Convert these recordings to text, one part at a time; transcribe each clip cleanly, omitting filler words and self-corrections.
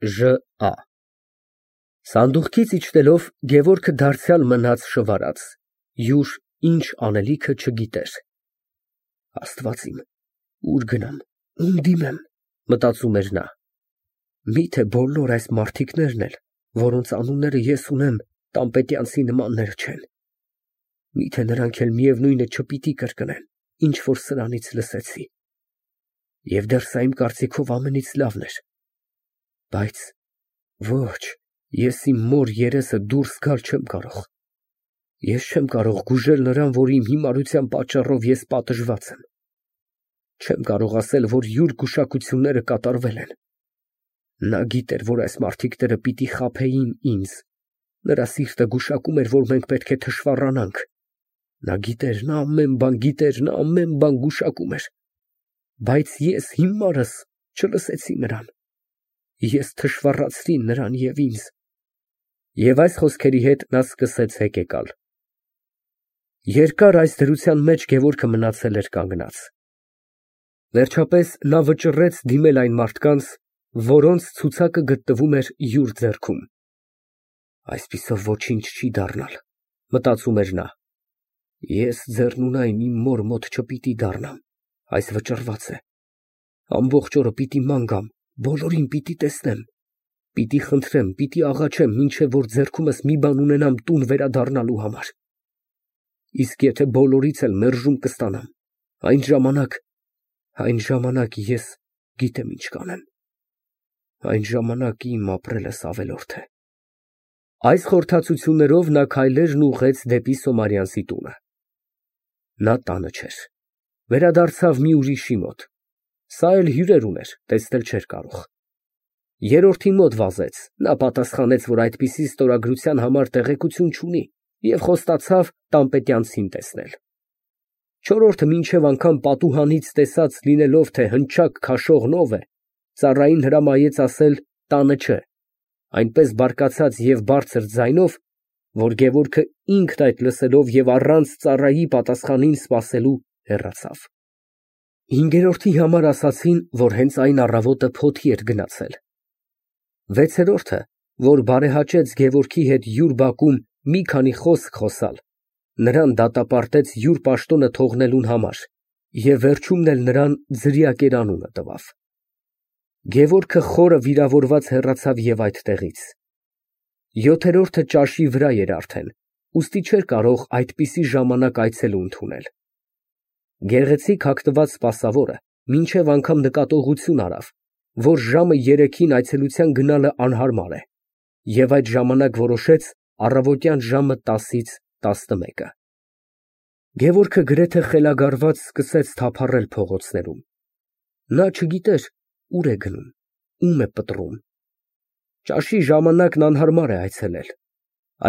Ժ.Ա. Սանդուղքից իջնելով Գևորգը դարձյալ մնաց շվարած, յուր ինչ անելիքը չգիտեր։ Աստված իմ, ուր գնամ, ում դիմեմ, մտածում էր նա։ Միթե բոլոր այս մարդիկներն էլ, որոնց անունները ես ունեմ, տանպետյանցի նմանները չեն։ Միթե նրանք էլ միևնույնը չպիտի կրկնեն, ինչ որ սրանից լսեցի։ Եվ դեռ սա իմ կարծիքով ամենից լավն էր։ Բայց ոչ, ես իմ մոր երեսը դուրս գալ չեմ կարող։ Ես չեմ կարող գուժել նրան, որ իմ հիմարության պատճառով ես պատժված եմ։ Չեմ կարող ասել, որ յուր գուշակությունները կատարվել են։ Նա գիտեր, որ այս մարդիկները պիտի խաբեին ինձ։ Նրա սիրտը գուշակում էր, որ մենք պետք է թշվառանանք։ Նա գիտեր, նա ամեն բան գիտեր, նա ամեն բան գուշակում էր։ Բայց ես հիմարս չլսեցի նրան։ Ես թշվառացրի նրան և ինձ։ Եվ այս խոսքերի հետ նա սկսեց հեկեկալ։ Երկար այս դրության մեջ Գևորգը մնացել էր կանգնած։ Վերջապես նա վճռեց դիմել այն մարդկանց, որոնց ցուցակը գտնվում էր յուր ձեռքում։ Այսպիսով ոչինչ չի դառնալ, մտածում էր նա։ Ես ձեռնունայն իմ մոր մոտ չպիտի դառնամ, այս վճռված է։ Ամբողջ օրը պիտի ման գամ, բոլորին պիտի տեսնեմ, պիտի խնդրեմ, պիտի աղաչեմ, մինչև որ ձեռքումս մի բան ունենամ տուն վերադառնալու համար։ Իսկ եթե բոլորից էլ մերժում կստանամ, այն ժամանակ ես գիտեմ ինչ կանեմ։ Այն ժամանակ իմ ապրելս ավելորդ է։ Այս խորհրդածություններով նա քայլերն ուղղեց դեպի Սոմարյանցի տունը։ Նա տանը չէր։ Վերադարձավ մի ուրիշի մոտ։ Սա էլ հյուրեր ուներ, տեսնել չէր կարող։ Երրորդի մոտ վազեց, նա պատասխանեց, որ այդպիսի ստորագրության համար տեղեկություն չունի և խոստացավ տանպետյանցին տեսնել։ Չորրորդը մինչև անգամ պատուհանից տեսած լինելով, թե հնչակ քաշողն ով է, ծառային հրամայեց ասել տանը չէ, այնպես բարկացած և բարձր ձայնով, որ Գևորգը ինքն այդ լսելով և առանց ծառայի պատասխանին սպասելու հեռացավ։ Հինգերորդի համար ասացին, որ հենց այն առավոտը փոթի էր գնացել։ Վեցերորդը, որ բարեհաճեց Գևորգի հետ յուր բակում մի քանի խոսք խոսալ, նրան դատապարտեց յուր պաշտոնը թողնելուն համար և վերջումն էլ նրան ձրիակեր անունը տվավ։ Գևորգը խորը վիրավորված հեռացավ և այդտեղից։ Յոթերորդը ճաշի վրա էր արդեն, ուստի չէր կարող այդպիսի ժամանակ այցելու ընդունել։ Գեղեցիկ հագնված սպասավորը մինչև անգամ նկատողություն արավ, որ ժամը 3-ին այցելության գնալը անհարմար է, և այդ ժամանակ որոշեց առավոտյան ժամը 10-ից 11-ը։ Գևորգը գրեթե խելագարված սկսեց թափառել փողոցներում։ Նա չգիտեր ուր է գնում, ում է պտռում։ Ճաշի ժամանակն անհարմար է այցելել։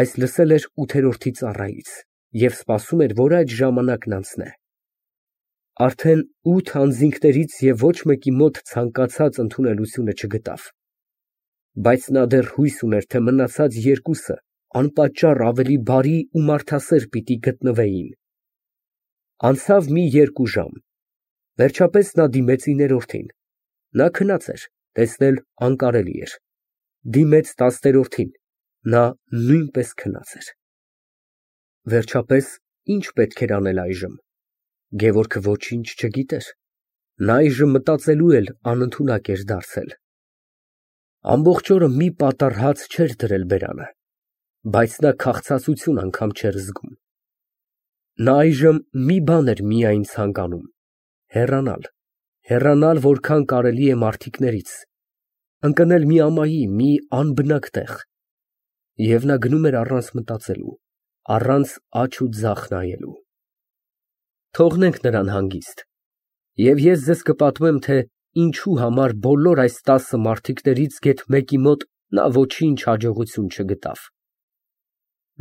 Այս լսել էր ութերորդի ծառայից և սպասում էր, որ այդ ժամանակն անցնե։ Արդեն 8 անձինքներից և ոչ մեկի մոտ ցանկացած ընդունելությունը չգտավ։ Բայց նա դեռ հույս ուներ, թե մնացած երկուսը անպատճառ ավելի բարի ու մարդասեր պիտի գտնվեին։ Անցավ մի 2 ժամ։ Վերջապես նա դիմեց 9-րդին։ Նա քնած էր, տեսնել անկարելի էր։ Դիմեց 10-րդին։ Նա նույնպես քնած էր։ Վերջապես ի՞նչ պետք էր անել այժմ։ Գևորգը ոչինչ չգիտեր։ Նա այժմ մտածելու էլ անընդունակ էր դարձել։ Ամբողջ օրը մի պատառ հաց չէր դրել բերանը, բայց նա քաղցածություն անգամ չէր զգում։ Նա այժմ մի բան էր միայն ցանկանում՝ հեռանալ որքան կարելի է մարդիկներից, ընկնել մի ամայի, մի անբնակ տեղ։ Եվ նա գնում էր առանց մտածելու, առանց աջ ու ձախ նայելու։ Թողնենք նրան հանգիստ, և ես ձեզ կպատմեմ, թե ինչու համար բոլոր այս 10 մարդիկներից գեթ մեկի մոտ նա ոչինչ հաջողություն չգտավ։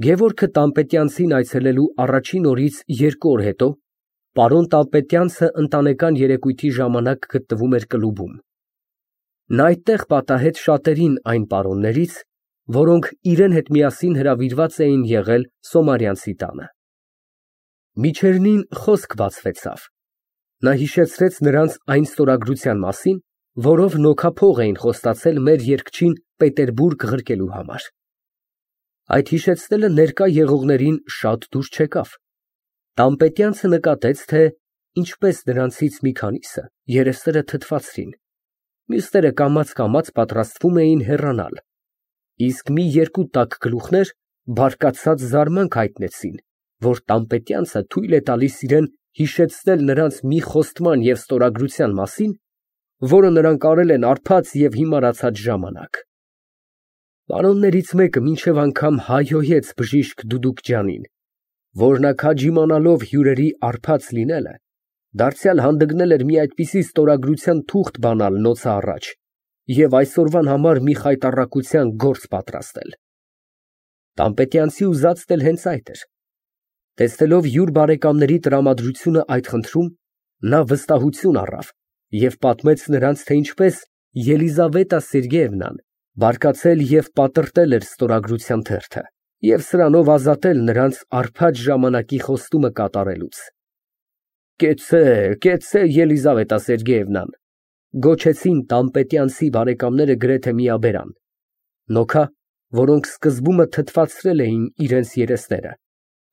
Գևորգը տանպետյանցին այցելելու առաջին օրից 2 օր հետո պարոն տանպետյանցը ընտանեկան երեկույթի ժամանակ գտնվում էր կլուբում։ Նա այդտեղ պատահեց շատերին այն պարոններից, որոնք իրեն հետ միասին հրավիրված էին եղել Սոմարյանցի տանը։ Միջերնին խոսք բացվեցավ։ Նա հիշեցրեց նրանց այն ստորագրության մասին, որով նոքափող էին խոստացել մեր երգչին Պետերբուրգ ղրկելու համար։ Այդ հիշեցնելը ներկա եղողներին շատ դուր չեկավ։ Տան-պետյանցը նկատեց, թե ինչպես նրանցից մի քանիսը երեսները թթվածրին, մյուսները կամաց պատրաստվում էին հեռանալ, իսկ մի երկու տաք գլուխներ բարկացած զարմանք հայտնեցին, որ տան-պետյանցը թույլ է տալիս իրեն հիշեցնել նրանց մի խոստման և ստորագրության մասին, որը նրանք արել են արբած և հիմարացած ժամանակ։ Պարոններից մեկը մինչև անգամ հայհոյեց բժիշկ Դուդուկջանին, որ նա քաջ իմանալով հյուրերի արբած լինելը, դարձյալ հանդգնել էր մի այդպիսի ստորագրության թուղթ բանալ նոցը առաջ և այսօրվան համար մի խայտառակության գործ պատրաստել։ Տան-պետյանցի ուզածն էլ հենց այդ էր։ Տեսնելով յուր բարեկամների տրամադրությունը այդ խնդրում, նա վստահություն առավ և պատմեց նրանց, թե ինչպես Ելիզավետա Սերգեևնան բարկացել և պատրտել էր ստորագրության թերթը և սրանով ազատել նրանց արբած ժամանակի խոստումը կատարելուց։ «Կեցցե, կեցցե, Ելիզավետա Սերգեևնան», գոչեցին տան-պետյանցի բարեկամները գրեթե միաբերան, նոքա, որոնք սկզբումն թթվածրել էին իրենց երեսները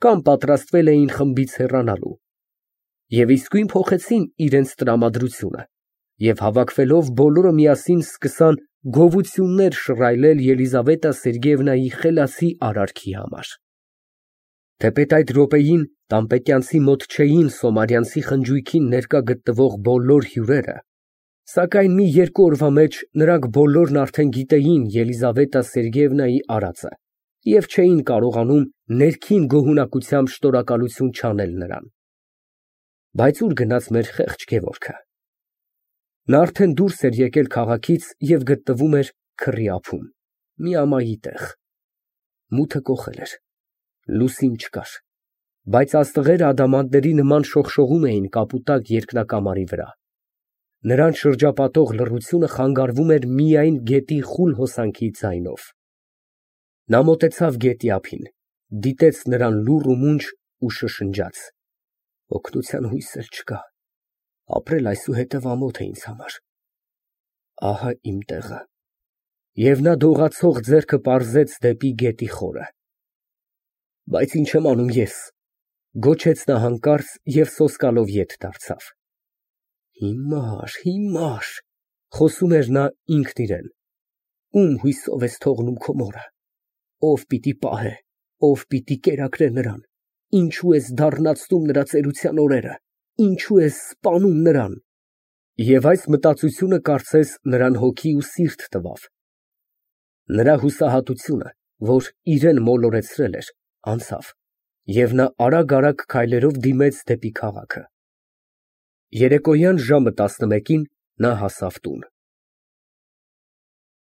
կամ պատրաստվել էին խմբից հեռանալու, և իսկույն փոխեցին իրենց տրամադրությունը և հավաքվելով բոլորը միասին սկսան գովություններ շռայլել Ելիզավետա Սերգեևնայի խելացի արարքի համար։ Թեպետ այդ րոպեին տան-պետյանցի մոտ չէին Սոմարյանցի խնջույքին ներկա գտնվող բոլոր հյուրերը, սակայն մի երկու օրվա մեջ նրանք բոլորն արդեն գիտեին Ելիզավետա Սերգեևնայի արածը և չէին կարողանում ներքին գոհունակությամբ շնորհակալություն չանել նրան։ Բայց ուր գնաց մեր խեղճ Գևորգը։ Նա արդեն դուրս էր եկել քաղաքից և գտնվում էր քրի ափում, մի ամայի տեղ։ Մութը կոխել էր, լուսին չկար, բայց աստղերը ադամանդների նման շողշողում էին կապուտակ երկնակամարի վրա։ Նրան շրջապատող լռությունը խանգարվում էր միայն գետի խուլ հոսանքի ձայնով։ Նա մոտեցավ գետի ափին, դիտեց նրան լուռ ու մունջ ու շշնջաց. «Օգնության հույս էլ չկա, ապրել այսուհետև ամոթ է ինձ համար։ Ահա իմ տեղը»։ Եվ նա դողացող ձեռքը պարզեց դեպի գետի խորը։ «Բայց ինչ եմ անում ես», գոչեց նա հանկարծ և սոսկալով ետ դարձավ։ «Հիմար, հիմար», խոսում էր նա ինքն իրեն, «ում հույսով ես թողնում քո մորը, ով պիտի պահե, ով պիտի կերակրե նրան, ինչու ես դառնացնում նրա ծերության օրերը, ինչու ես սպանում նրան»։ Եվ այս մտածությունը կարծես նրան հոգի ու սիրտ տվավ։ Նրա հուսահատությունը, որ իրեն մոլորեցրել էր, անցավ, և նա արագ քայլերով դիմեց դեպի քաղաքը։ Երեկոյան ժամը 11-ին նա հասավ տուն։